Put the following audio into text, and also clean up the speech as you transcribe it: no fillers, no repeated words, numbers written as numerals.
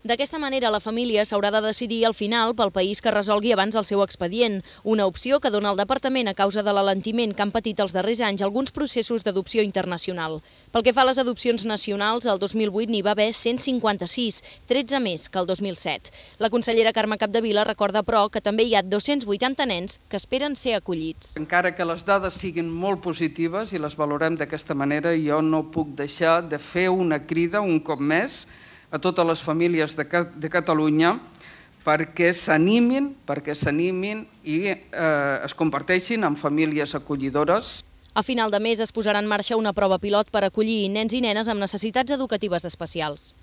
D'aquesta manera, la família s'haurà de decidir al final pel país que resolgui abans el seu expedient, una opció que dona el Departament a causa de l'alentiment que han patit els darrers anys alguns processos d'adopció internacional. Pel que fa a les adopcions nacionals, el 2008 n'hi va haver 156, 13 més que el 2007. La consellera Carme Capdevila recorda, però, que també hi ha 280 nens que esperen ser acollits. Encara que les dades siguin molt positives i les valorem d'aquesta manera, jo no puc deixar de fer una crida un cop més a totes les famílies de Catalunya perquè s'animin i es converteixin en famílies acollidores. A final de mes es posarà en marxa una prova pilot per acollir nens i nenes amb necessitats educatives especials.